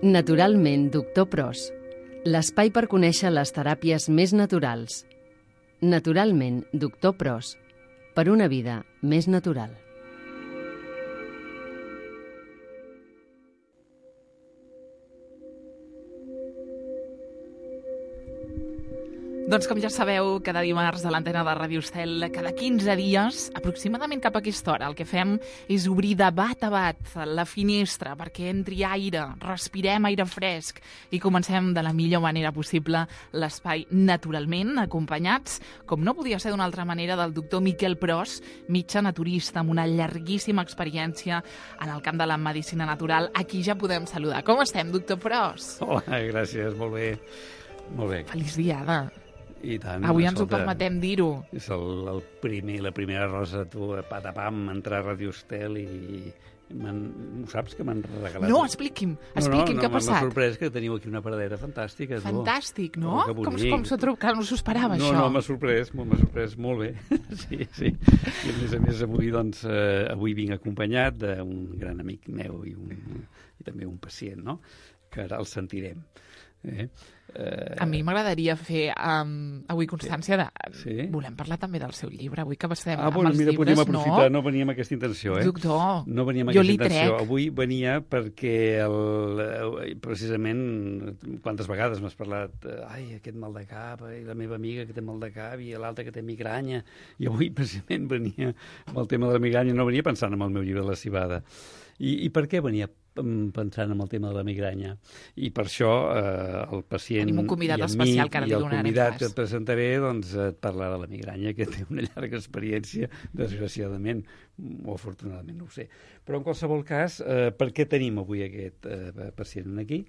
Naturalment, doctor Pros. L'espai per conèixer les teràpies més naturals. Naturalment, doctor Pros. Per una vida més natural. Doncs com ja sabeu, cada dimarts a l'antena de Ràdio Estel, cada 15 dies, aproximadament cap a aquesta hora, el que fem és obrir de bat a bat la finestra perquè entri aire, respirem aire fresc i comencem de la millor manera possible l'espai naturalment, acompanyats, com no podia ser d'una altra manera, del doctor Miquel Pros, metge naturista amb una llarguíssima experiència en el camp de la medicina natural. Aquí ja podem saludar. Com estem, doctor Pros? Hola, gràcies, molt bé. Molt bé. Feliç diada. I tant. Avui ens ho permetem dir-ho. És la primera rosa, tu, patapam, entrar a Ràdio Estel i... Ho saps que m'han regalat? No, expliqui'm què ha passat. M'ha sorprès que teniu aquí una paradera fantàstica. Fantàstic, no? Com s'ho trobo? Que no s'ho esperava, això. No, m'ha sorprès molt bé. Sí. I a més avui, doncs, avui vinc acompanyat d'un gran amic meu i també un pacient, no? Que ara el sentirem. A mi m'agradaria fer avui constància de... Sí? Volem parlar també del seu llibre, avui que estem amb els mira, llibres, podríem aprofitar, no venia amb aquesta intenció, Doctor, no venia amb jo aquesta li intenció. trec. Avui venia perquè, precisament, quantes vegades m'has parlat, aquest mal de cap, i la meva amiga que té mal de cap, i l'altra que té migranya, i avui, precisament, venia amb el tema de la migranya, no venia pensant en el meu llibre La cibada. I per què venia pensant en el tema de la migranya? I per això el pacient tenim un convidat especial que ara li donarem i el convidat que et presentaré doncs, et parlarà de la migranya, que té una llarga experiència, desgraciadament, o afortunadament, no ho sé. Però en qualsevol cas, per què tenim avui aquest pacient aquí?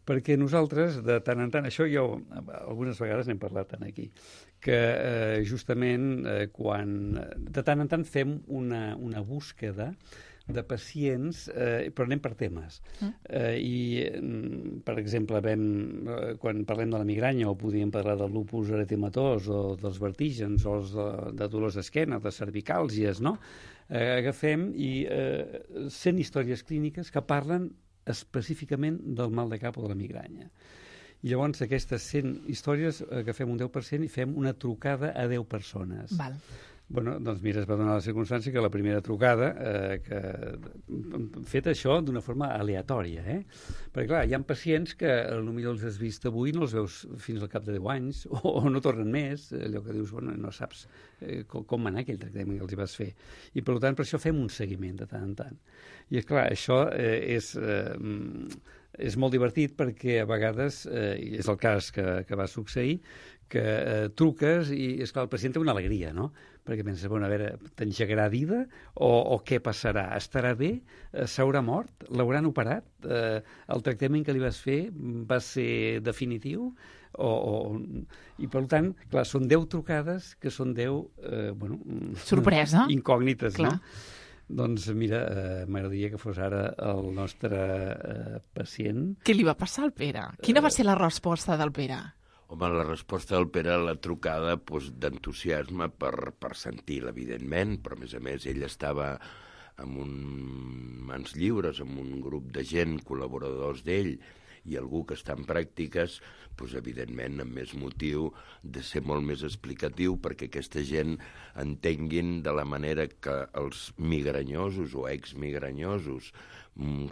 Perquè nosaltres, de tant en tant, això jo algunes vegades n'hem parlat aquí, que justament quan de tant en tant fem una búsqueda de pacients, però anem per temes. Per exemple, quan parlem de la migranya, o podríem parlar del lupus eritematós, o dels vertígens, o de dolors d'esquena, de cervicàlgies, no? Agafem i 100 històries clíniques que parlen específicament del mal de cap o de la migranya. I llavors, aquestes 100 històries agafem un 10% i fem una trucada a 10 persones. Val. Bueno, doncs mira, es va donar la circumstància que la primera trucada, fet això d'una forma aleatòria, Perquè, clar, hi ha pacients que potser els has vist avui, no els veus fins al cap de 10 anys, o no tornen més, allò que dius, bueno, no saps com va anar aquell tractament que els hi vas fer. I, per tant, per això fem un seguiment de tant en tant. I, clar, això és molt divertit perquè a vegades, i és el cas que va succeir, que truques i, esclar, el pacient té una alegria, no? Perquè pensa, bueno, a veure, t'engegarà vida o què passarà? Estarà bé? S'haurà mort? L'hauran operat? El tractament que li vas fer va ser definitiu? I, per tant, clar, són 10 trucades que són 10, sorpresa. Incògnites, clar. No? Doncs mira, m'agradaria que fos ara el nostre pacient. Què li va passar al Pere? Quina va ser la resposta del Pere? Home, la resposta del Pere a la trucada d'entusiasme per sentir-la, evidentment, però a més ell estava amb mans lliures, amb un grup de gent, col·laboradors d'ell, i algú que està en pràctiques, evidentment, amb més motiu de ser molt més explicatiu perquè aquesta gent entenguin de la manera que els migranyosos o exmigranyosos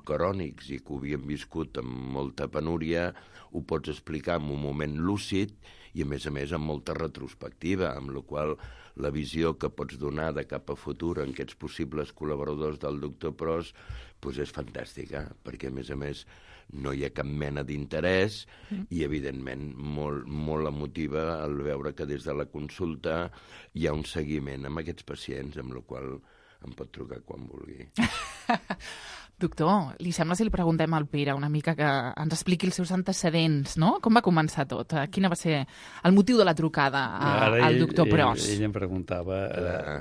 crònics i que ho havien viscut amb molta penúria ho pots explicar en un moment lúcid i, a més, amb molta retrospectiva, amb la qual la visió que pots donar de cap a futur en aquests possibles col·laboradors del doctor Pros és fantàstica, perquè, a més, no hi ha cap mena d'interès i, evidentment, molt emotiva al veure que des de la consulta hi ha un seguiment amb aquests pacients, amb la qual em pot trucar quan vulgui. Doctor, li sembla si li preguntem al Pere una mica que ens expliqui els seus antecedents, no? Com va començar tot? Quina va ser el motiu de la trucada al doctor Pros? Ell em preguntava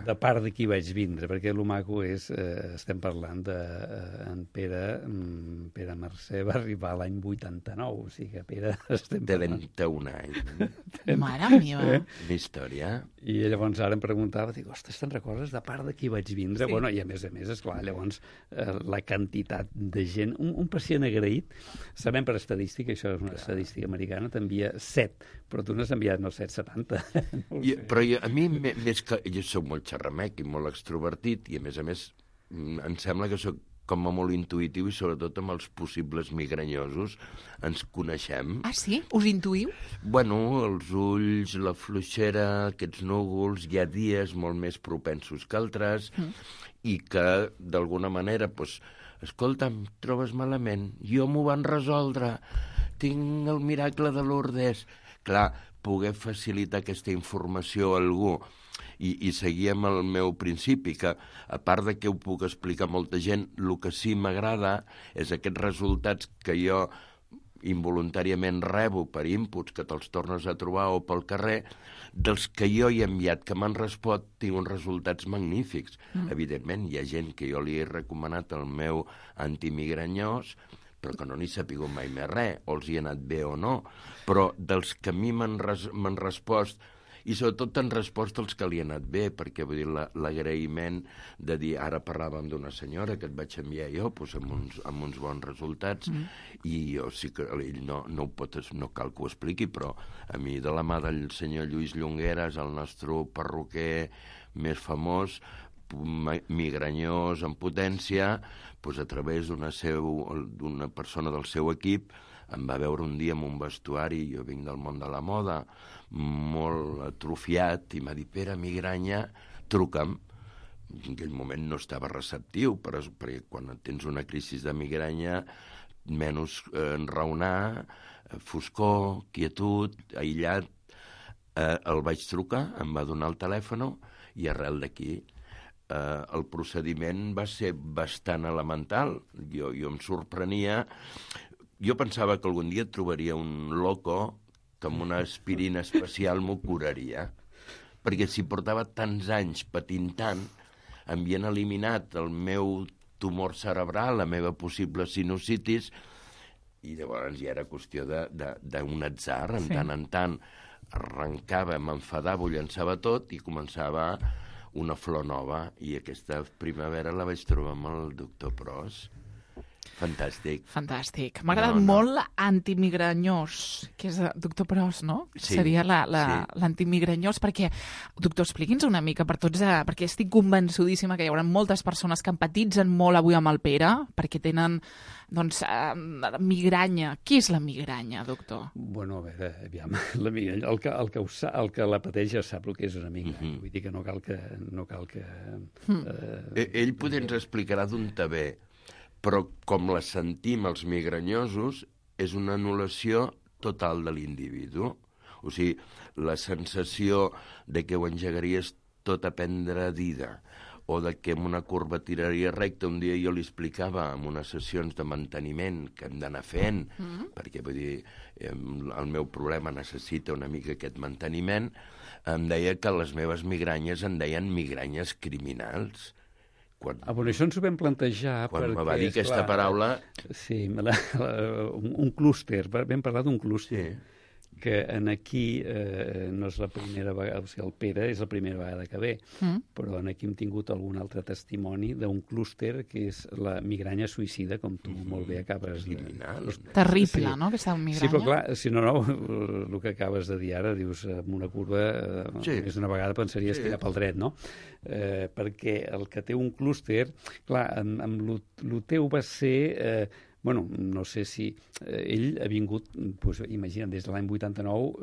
de part de qui vaig vindre, perquè el maco és, estem parlant d'en Pere Mercè va arribar l'any 89, o sigui que Pere... De 21 anys. Mare meva. Una història. I llavors ara em preguntava, dic, ostres, te'n recordes de part de qui vaig vindre? Sí. Bueno, i a més, esclar, llavors la quantitat de gent. Un pacient agraït, sabem per estadística, això és una estadística americana, t'envia 7, però tu n'has enviat, no 7, 70. Però a mi, més que... Jo soc molt xerramec i molt extrovertit, i a més, em sembla que soc com a molt intuïtiu i sobretot amb els possibles migranyosos ens coneixem. Ah, sí? Us intuïu? Bueno, els ulls, la fluixera, aquests núvols, hi ha dies molt més propensos que altres i que, d'alguna manera, doncs, escolta, em trobes malament, jo m'ho van resoldre, tinc el miracle de Lourdes. Clar, poder facilitar aquesta informació a algú i seguir amb el meu principi, que a part de que ho puc explicar a molta gent, el que sí m'agrada és aquests resultats que jo involuntàriament rebo per inputs que te'ls tornes a trobar o pel carrer, dels que jo he enviat, que m'han respost, tinc uns resultats magnífics. Evidentment, hi ha gent que jo li he recomanat el meu antimigranyós, però que no n'hi sapigut mai més res, o els hi ha anat bé o no. Però dels que a mi m'han respost, i sobretot han respost els que li ha anat bé, perquè vull dir, l'agraïment de dir, ara parlàvem d'una senyora que et vaig enviar jo doncs, amb uns bons resultats, i jo sí que ell no cal que ho expliqui, però a mi de la mà del senyor Lluís Llongueras, el nostre perruquer més famós, migranyós en potència, doncs a través d'una persona del seu equip em va veure un dia amb un vestuari, jo vinc del món de la moda, molt atrofiat, i m'ha dit, Pere, migranya, truca'm. En aquell moment no estava receptiu, perquè quan tens una crisi de migranya, menys enraonar, foscor, quietud, aïllat, el vaig trucar, em va donar el telèfon, i arrel d'aquí el procediment va ser bastant elemental. Jo em sorprenia. Jo pensava que algun dia trobaria un loco que amb una aspirina especial m'ho curaria. Perquè si portava tants anys patint tant, havien eliminat el meu tumor cerebral, la meva possible sinusitis, i llavors ja era qüestió d'un atzar, en tant en tant arrencava, m'enfadava, ho llançava tot i començava una flor nova, i aquesta primavera la vaig trobar amb el doctor Pros. Fantàstic. Fantàstic. M'ha agradat molt l'antimigranyós, que és doctor Pros, no? Sí. Seria l'antimigranyós, perquè, doctor, expliqui'ns una mica per tots, perquè estic convençudíssima que hi haurà moltes persones que empatitzen molt avui amb el Pere, perquè tenen, doncs, migranya. Què és la migranya, doctor? Bueno, a veure, aviam, la migranya, el que la pateix ja sap el que és una migranya. Vull dir que no cal que... Ell potser ens explicarà d'on te ve, però com la sentim els migranyosos, és una anul·lació total de l'individu. O sigui, la sensació de que ho engegaries tot a prendre dida, o de que amb una curva tiraria recta. Un dia jo li explicava en unes sessions de manteniment que hem d'anar fent, perquè vull dir, el meu problema necessita una mica aquest manteniment, em deia que les meves migranyes en deien migranyes criminals. Bueno, això ens ho vam plantejar quan me va dir aquesta paraula... Sí, un clúster, vam parlar d'un clúster, que aquí no és la primera vegada, o sigui, el Pere és la primera vegada que ve, però aquí hem tingut algun altre testimoni d'un clúster que és la migranya suïcida, com tu molt bé acabes de dir. Terrible, no?, aquesta migranya. Sí, però clar, si no, el que acabes de dir ara, dius, amb una curva, més d'una vegada pensaries que era pel dret, no? Perquè el que té un clúster, clar, amb el teu va ser... Bueno, no sé si ell ha vingut, doncs, imagina't, des de l'any 89,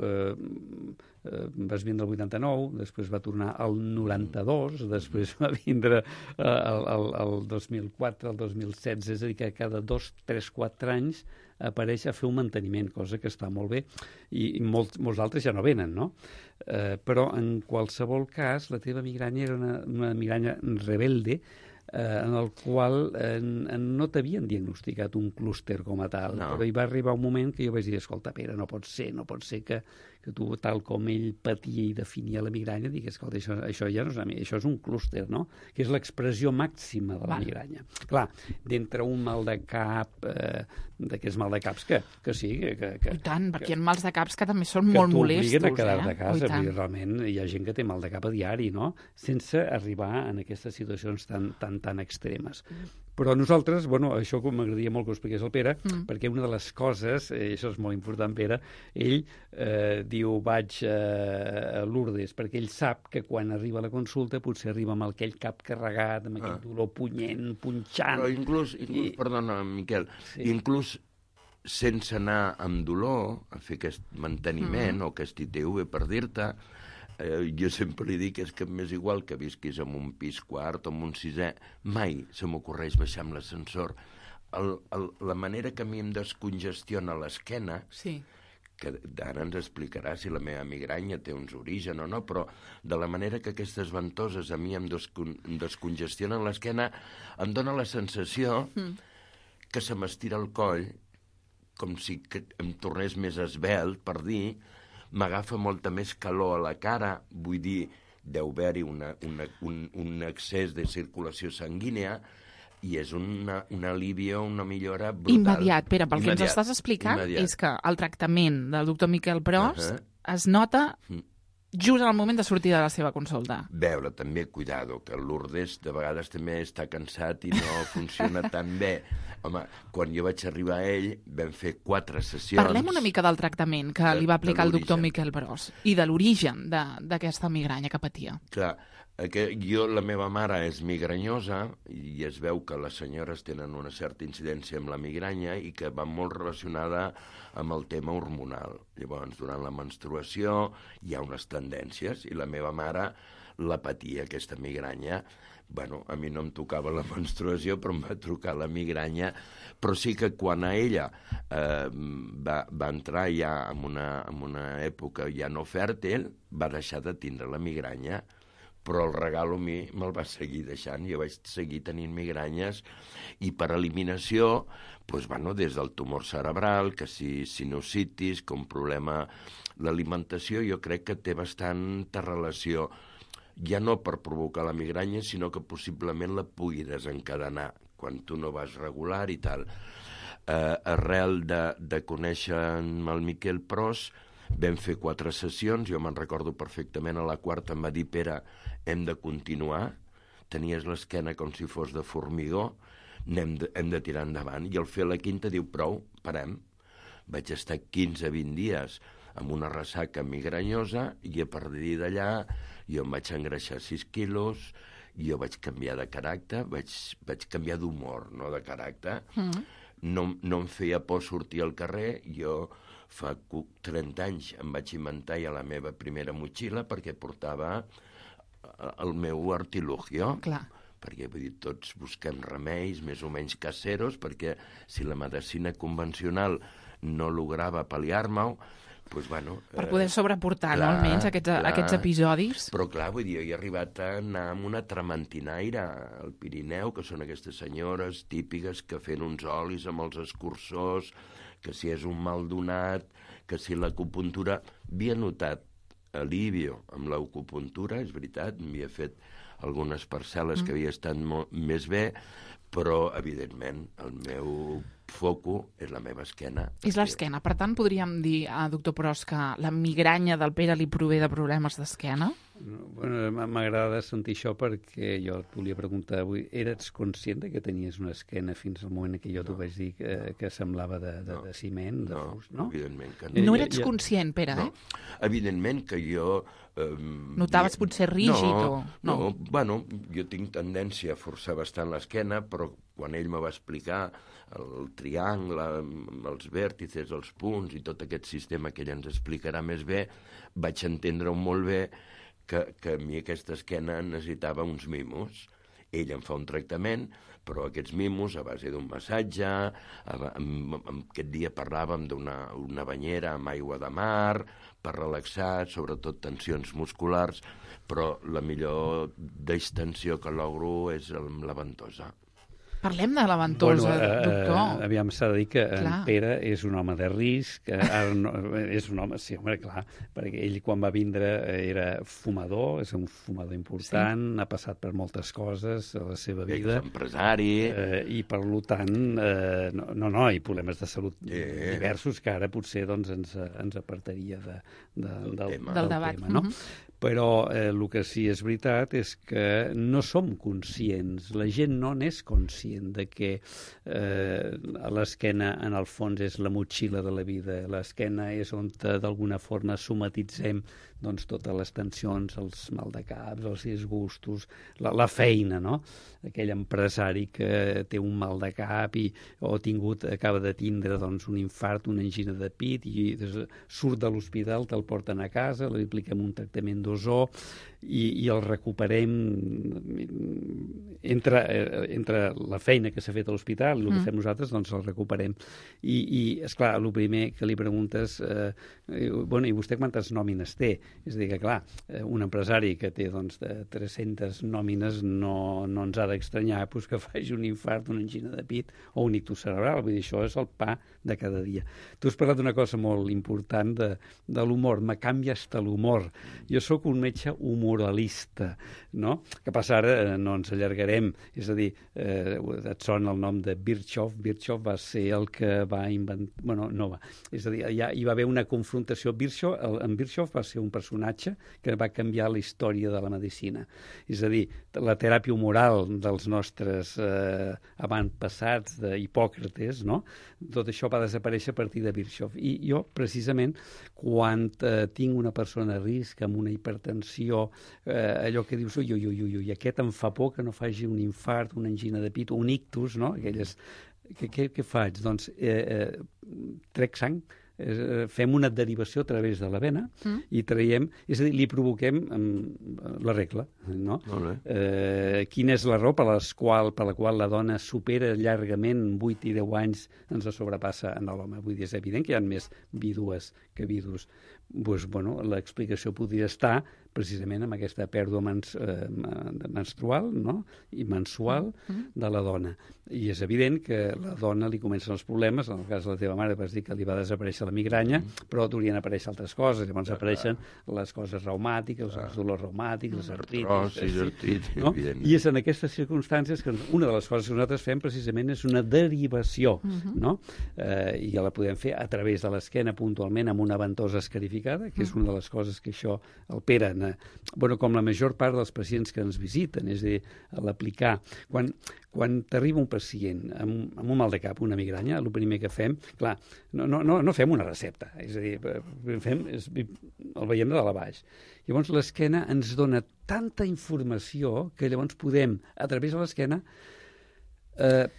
vas vindre el 89, després va tornar al 92, després va vindre el 2004, el 2016, és a dir, que cada 2, 3, 4 anys apareix a fer un manteniment, cosa que està molt bé, i molts altres ja no venen, no? Però en qualsevol cas, la teva migranya era una migranya rebelde, en el qual no t'havien diagnosticat un clúster com a tal, però hi va arribar un moment que jo vaig dir, escolta, Pere, no pot ser que tu, tal com ell patia i definia la migranya, digues, escolta, això ja no és això és un clúster, no? Que és l'expressió màxima de la migranya. Clar, d'entre un mal de cap, d'aquests mal de caps que sí, I tant, perquè hi ha mals de caps que també són molt molestos. Que t'obliguen a quedar de casa, vull dir, realment hi ha gent que té mal de cap a diari, no? Sense arribar en aquestes situacions tan extremes. Però nosaltres, bueno, això m'agradaria molt que ho expliqués el Pere, perquè una de les coses, això és molt important, Pere, ell diu, vaig a Lourdes, perquè ell sap que quan arriba a la consulta potser arriba amb aquell cap carregat, amb aquell dolor punyent, punxant... Però inclús perdona, Miquel, inclús sense anar amb dolor a fer aquest manteniment o aquest ITV, per dir-te, jo sempre li dic és que m'és igual que visquis en un pis quart o en un sisè, mai se m'ocorreix baixar amb l'ascensor. La manera que a mi em descongestiona l'esquena, que ara ens explicarà si la meva migranya té uns orígens o no, però de la manera que aquestes ventoses a mi em descongestionen l'esquena, em dóna la sensació que se m'estira el coll, com si em tornés més esvelt, per dir, m'agafa molta més calor a la cara, vull dir, deu haver-hi un excés de circulació sanguínia, i és un alivio, una millora brutal. Immediat, Pere, pel que ens estàs explicant és que el tractament del doctor Miquel Pros es nota just al moment de sortir de la seva consulta. Veure, també, cuidado, que el Lourdes de vegades també està cansat i no funciona tan bé. Home, quan jo vaig arribar a ell, vam fer 4 sessions... Parlem una mica del tractament que li va aplicar el doctor Miquel Pros i de l'origen d'aquesta migranya que patia. Clar, la meva mare és migranyosa i es veu que les senyores tenen una certa incidència amb la migranya i que va molt relacionada amb el tema hormonal. Llavors, durant la menstruació hi ha unes tendències i la meva mare la patia, aquesta migranya. Bueno, a mi no em tocava la menstruació, però em va trucar la migranya. Però sí que quan a ella va entrar ja en una època ja no fèrtil, va deixar de tindre la migranya. Però el regalo a mi me'l va seguir deixant. Jo vaig seguir tenint migranyes i per eliminació, doncs, bueno, des del tumor cerebral, que si sinusitis, com problema... L'alimentació jo crec que té bastanta relació, ja no per provocar la migranya, sinó que possiblement la pugui desencadenar quan tu no vas regular i tal. Arrel de conèixer el Miquel Pros, vam fer 4 sessions, jo me'n recordo perfectament, a la 4ª em va dir, Pere, hem de continuar, tenies l'esquena com si fos de formigó, hem de tirar endavant, i al fer la 5ª diu, prou, parem. Vaig estar 15-20 dies amb una ressaca migranyosa i a partir d'allà jo em vaig engreixar 6 quilos, jo vaig canviar de caràcter, vaig canviar d'humor, no de caràcter. No em feia por sortir al carrer, jo fa 30 anys em vaig inventar ja la meva primera motxilla perquè portava el meu artilugio. Clar. Perquè, vull dir, tots busquem remeis més o menys caseros, perquè si la medicina convencional no lograva pal·liar-me-ho, doncs, bueno... Per poder sobreportar, no, almenys, aquests episodis. Però, clar, vull dir, jo he arribat a anar amb una trementinaire al Pirineu, que són aquestes senyores típiques que fent uns olis amb els escurçors, que si és un mal donat, que si l'acupuntura... Havia notat alivio amb l'acupuntura, és veritat, m'havia fet algunes parcel·les que havia estat més bé, però, evidentment, el meu foco és la meva esquena. És l'esquena. Per tant, podríem dir, doctor Pros, que la migranya del Pere li prové de problemes d'esquena? Bueno, m'agrada sentir això perquè jo et volia preguntar avui, eres conscient que tenies una esquena fins al moment que jo t'ho vaig dir que semblava de ciment, de fust, no? Evidentment que no. No eres conscient, Pere, no. Evidentment que jo... Notaves potser rígid o... No, bueno, jo tinc tendència a forçar bastant l'esquena, però quan ell me va explicar el triangle, els vèrtices, els punts i tot aquest sistema que ell ens explicarà més bé, vaig entendre-ho molt bé que a mi aquesta esquena necessitava uns mimos. Ell em fa un tractament, però aquests mimos, a base d'un massatge, aquest dia parlàvem d'una banyera amb aigua de mar, per relaxar, sobretot tensions musculars, però la millor distensió que logro és amb la ventosa. Parlem de la ventosa, doctor. Aviam, s'ha de dir que Clar. en Pere és un home de risc, ara no, és un home, sí, home, clar, perquè ell quan va vindre era fumador, és un fumador important, ha passat per moltes coses a la seva vida. És empresari. I per tant, no, i problemes de salut diversos que ara potser doncs, ens apartaria del debat. tema, no? Però el que sí és veritat és que no som conscients, la gent no n'és conscient de que l'esquena en el fons és la motxilla de la vida, l'esquena és on d'alguna forma somatitzem doncs, totes les tensions, els maldecaps, els disgustos, la feina, no? Aquell empresari que té un mal de cap acaba de tindre doncs, un infart, una angina de pit i surt de l'hospital, te'l porten a casa, li apliquem un tractament d'ozó i el recuperem entre la feina que s'ha fet a l'hospital i el que fem nosaltres, doncs el recuperem. I esclar, el primer que li preguntes, i vostè quantes nòmines té? És a dir que, clar, un empresari que té doncs, 300 nòmines no ens ha d'estranyar que faci un infart, una angina de pit o un ictus cerebral. Vull dir, això és el pa de cada dia. Tu has parlat d'una cosa molt important de l'humor. Me canvia hasta l'humor. Jo sóc un metge humoralista, no? Que passa ara, no ens allargarem. És a dir, et sona el nom de Virchow. Virchow va ser el que va inventar... Bueno, no va. És a dir, hi va haver una confrontació. En Virchow va ser un personatge que va canviar la història de la medicina. És a dir, la teràpia humoral dels nostres avantpassats d'Hipòcrates, no? Tot això va desaparèixer a partir de Virchow. I jo, precisament, quan tinc una persona a risc amb una hipertensió, allò que dius, ui, aquest em fa por que no faci un infart, una angina de pit, un ictus, no? Aquelles... Què faig? Doncs trec sang, fem una derivació a través de la vena i traiem, és a dir, li provoquem la regla, no? Quina és la raó per la qual la dona supera llargament 8 i 10 anys ens sobrepassa en l'home? Vull dir, és evident que hi ha més vídues que vidus. Doncs, bueno, l'explicació podria estar precisament amb aquesta pèrdua menstrual, no? I mensual de la dona. I és evident que a la dona li comencen els problemes, en el cas de la teva mare vas dir que li va desaparèixer la migranya, però haurien aparèixer altres coses, llavors apareixen les coses reumàtiques, els dolors reumàtics, les artritis, no? I és en aquestes circumstàncies que una de les coses que nosaltres fem precisament és una derivació, no? I ja la podem fer a través de l'esquena puntualment amb una ventosa escarificada, que és una de les coses que això el Pere, com la major part dels pacients que ens visiten, és a dir, a l'aplicar. Quan t'arriba un pacient amb un mal de cap, una migranya, el primer que fem, clar, no fem una recepta, és a dir, el veiem de dalt a baix. Llavors l'esquena ens dona tanta informació que llavors podem, a través de l'esquena,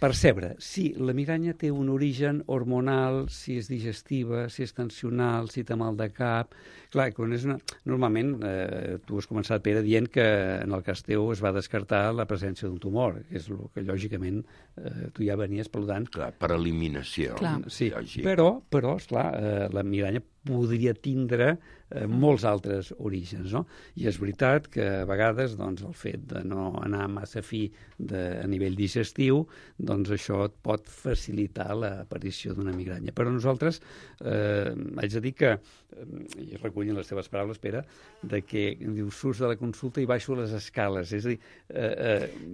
percebre si la migranya té un origen hormonal, si és digestiva, si és tensional, si té mal de cap. Clar, normalment tu has començat, Pere, dient que en el cas teu es va descartar la presència d'un tumor, que és el que lògicament tu ja venies peludant. Clar, per eliminació. Sí, però esclar, la migranya podria tindre molts altres orígens, no? I és veritat que a vegades doncs, el fet de no anar massa fi a nivell digestiu, doncs això et pot facilitar l'aparició d'una migranya. Però nosaltres haig de dir que, i recollint les teves paraules, Pere, de que dius, surts de la consulta i baixo les escales. És a dir...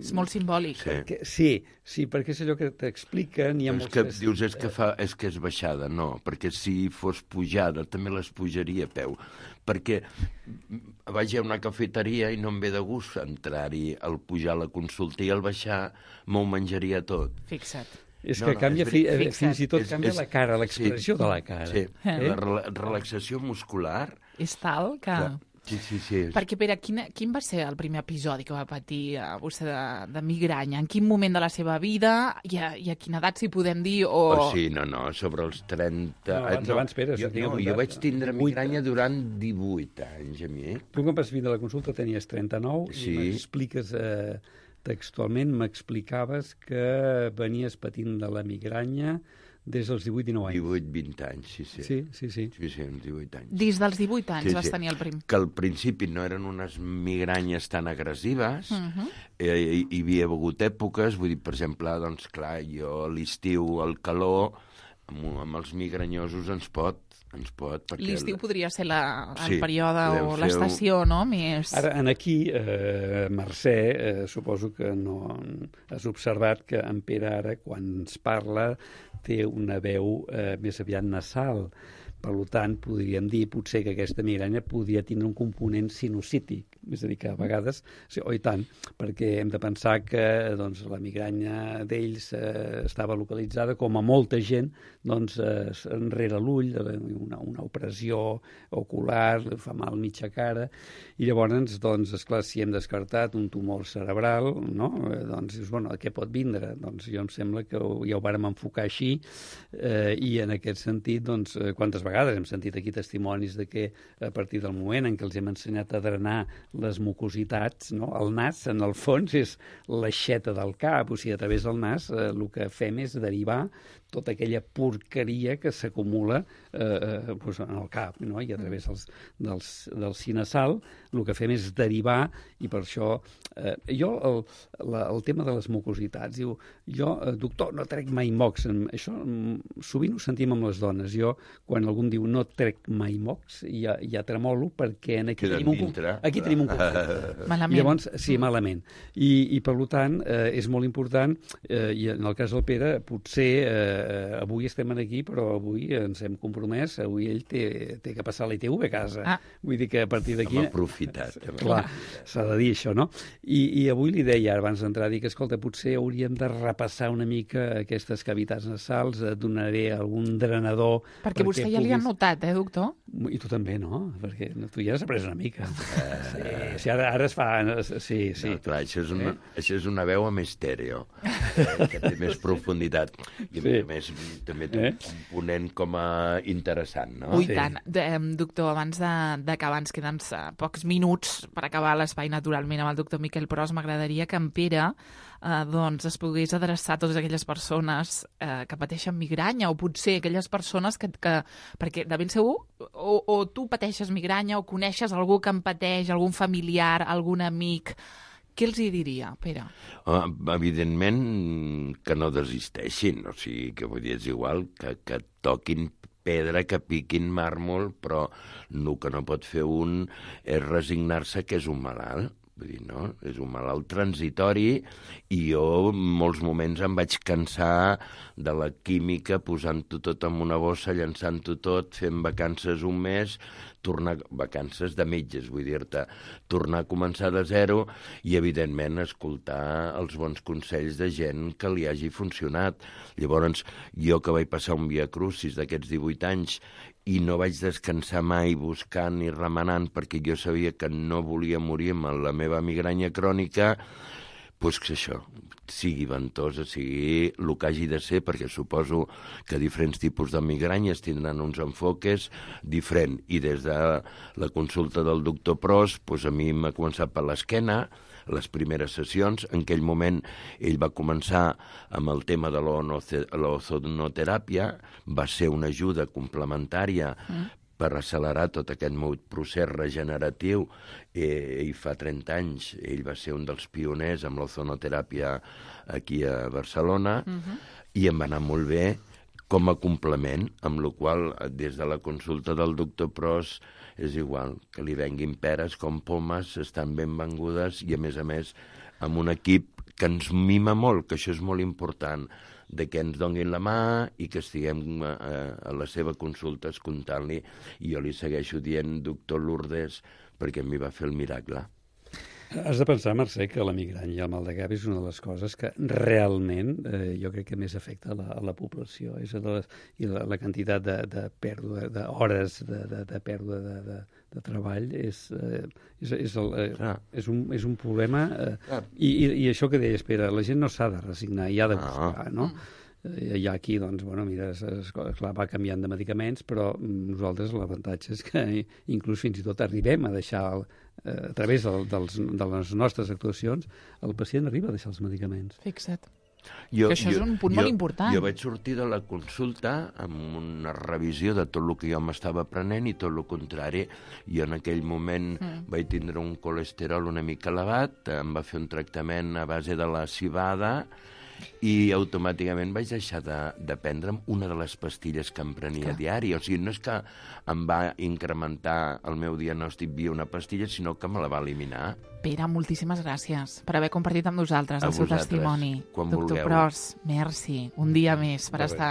és molt simbòlic. Sí, perquè és allò que t'expliquen... Dius, és que és baixada. No, perquè si fos pujada també les pujaria a peu, perquè vaig a una cafeteria i no em ve de gust entrar-hi al pujar a la consulta i al baixar m'ho menjaria tot. Fixa't. És que canvia, fins i tot canvia la cara, l'expressió de la cara. Sí, la relaxació muscular... És tal que... Sí. Perquè, Pere, quin va ser el primer episodi que va patir vostè de migranya? En quin moment de la seva vida i a quina edat, si podem dir? Sobre els 30... Abans, Pere. Jo vaig tindre migranya durant 18 anys, a mi. Tu, quan vas vindre a la consulta, tenies 39 i m'expliques... Textualment m'explicaves que venies patint de la migranya des dels 18-19 anys. 18-20 anys, sí. Sí. Sí, uns 18 anys. Des dels 18 anys vas tenir el prim. Que al principi no eren unes migranyes tan agressives, hi havia hagut èpoques, vull dir, per exemple, doncs clar, jo a l'estiu, el calor, amb els migranyosos ens pot perquè l'estiu podria ser el període o l'estació, no? Més... Ara, aquí, Mercè, suposo que no has observat que en Pere ara, quan ens parla, té una veu més aviat nasal. Per tant, podríem dir potser que aquesta migranya podria tindre un component sinusític, és a dir, que a vegades, i tant, perquè hem de pensar que doncs, la migranya d'ells estava localitzada, com a molta gent, doncs, enrere l'ull, una opressió ocular, fa mal mitja cara, i llavors, doncs, esclar, si hem descartat un tumor cerebral, no? Doncs dius, bueno, què pot vindre? Doncs jo em sembla que ja ho vàrem enfocar així, i en aquest sentit, doncs, quantes vegades hem sentit aquí testimonis de que a partir del moment en què els hem ensenyat a drenar les mucositats, no? El nas, en el fons, és l'aixeta del cap, o sigui, a través del nas el que fem és derivar tota aquella porqueria que s'acumula doncs en el cap, no? I a través del sinasal el que fem és derivar, i per això jo el tema de les mucositats, diu, jo, doctor, no trec mai mocs. Això sovint ho sentim amb les dones. Jo, quan algú em diu no trec mai mocs, ja tremolo, perquè aquí tenim un conflicte. Malament. I llavors, sí, malament. I per tant, és molt important, i en el cas del Pere, potser avui estem aquí, però avui ens hem compromès, avui ell té que passar l'ITV a casa. Vull dir que a partir d'aquí... Hem aprofitat. Clar, s'ha de dir això, no? I avui li deia, abans d'entrar, dic, escolta, potser hauríem de repassar una mica aquestes cavitats nasals, et donaré algun drenador... Perquè vostè ja li ha notat, doctor? I tu també, no? Perquè tu ja has après una mica. Sí, ara es fa... Sí. No, clar, això és una veu amb estèreo, que té més profunditat. I a més també té un component com a interessant, no? Ui, tant. Doctor, abans d'acabar, ens queden pocs minuts per acabar l'espai naturalment amb el doctor Miquel Pros. M'agradaria que en Pere doncs es pogués adreçar a totes aquelles persones que pateixen migranya, o potser aquelles persones que perquè de ben segur o tu pateixes migranya o coneixes algú que en pateix, algun familiar, algun amic. Què els hi diria, Pere? Evidentment que no desisteixin, o sigui, que vull dir, és igual que toquin pedra, que piquin màrmol, però el que no pot fer un és resignar-se que és un malalt. Vull dir, no? És un malalt transitori, i jo en molts moments em vaig cansar de la química, posant-ho tot en una bossa, llançant-ho tot, fent vacances un mes, vacances de metges, vull dir-te, tornar a començar de zero i, evidentment, escoltar els bons consells de gent que li hagi funcionat. Llavors, jo que vaig passar un viacrucis d'aquests 18 anys i no vaig descansar mai buscant i remenant perquè jo sabia que no volia morir amb la meva migranya crònica, doncs que això sigui ventosa, sigui el que hagi de ser, perquè suposo que diferents tipus de migranyes tindran uns enfoques diferents. I des de la consulta del doctor Pros, doncs a mi m'ha començat per l'esquena, les primeres sessions. En aquell moment ell va començar amb el tema de l'ozonoteràpia, va ser una ajuda complementària per accelerar tot aquest meu procés regeneratiu, i fa 30 anys ell va ser un dels pioners amb l'ozonoteràpia aquí a Barcelona, i em va anar molt bé com a complement, amb la qual des de la consulta del doctor Pros és igual, que li venguin peres com pomes, estan ben vengudes, i a més amb un equip que ens mima molt, que això és molt important, de que ens donin la mà i que estiguem a la seva consulta escoltant-li, i jo li segueixo dient doctor Lourdes perquè a mi va fer el miracle. Has de pensar, Mercè, que la migranya i el mal de cap és una de les coses que realment jo crec que més afecta a la població. I la quantitat de pèrdua d'hores, de pèrdua de treball és un problema. I això que deies, Pere, la gent no s'ha de resignar, i ha de buscar, no? Hi ha aquí, doncs, bueno, mira, clar, va canviant de medicaments, però nosaltres l'avantatge és que inclús fins i tot arribem a deixar, a través de les nostres actuacions, el pacient arriba a deixar els medicaments. Fixa't. Que això és un punt molt important. Jo vaig sortir de la consulta amb una revisió de tot el que jo m'estava aprenent i tot el contrari. Jo en aquell moment vaig tindre un colesterol una mica elevat, em va fer un tractament a base de la civada i automàticament vaig deixar de prendre'm una de les pastilles que em prenia diari. O sigui, no és que em va incrementar el meu diagnòstic via una pastilla, sinó que me la va eliminar. Pere, moltíssimes gràcies per haver compartit amb nosaltres el seu testimoni. Quan Doctor vulgueu. Pros, merci. Un dia més per estar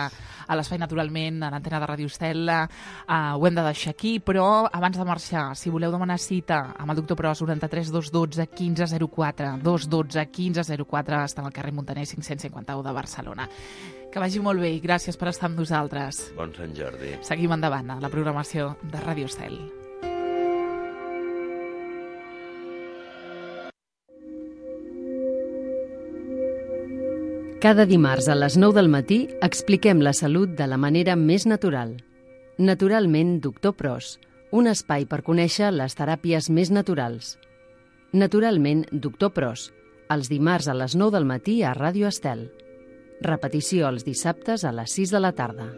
a l'Espai Naturalment, a l'antena de Ràdio Estel. Ho hem de deixar aquí, però abans de marxar, si voleu demanar cita amb el doctor Pros, 93 212 1504, 212 1504, està al carrer Montaner 551 de Barcelona. Que vagi molt bé i gràcies per estar amb nosaltres. Bon Sant Jordi. Seguim endavant a la programació de Ràdio Estel. Cada dimarts a les 9 del matí expliquem la salut de la manera més natural. Naturalment, doctor Pros, un espai per conèixer les teràpies més naturals. Naturalment, doctor Pros, els dimarts a les 9 del matí a Ràdio Estel. Repetició els dissabtes a les 6 de la tarda.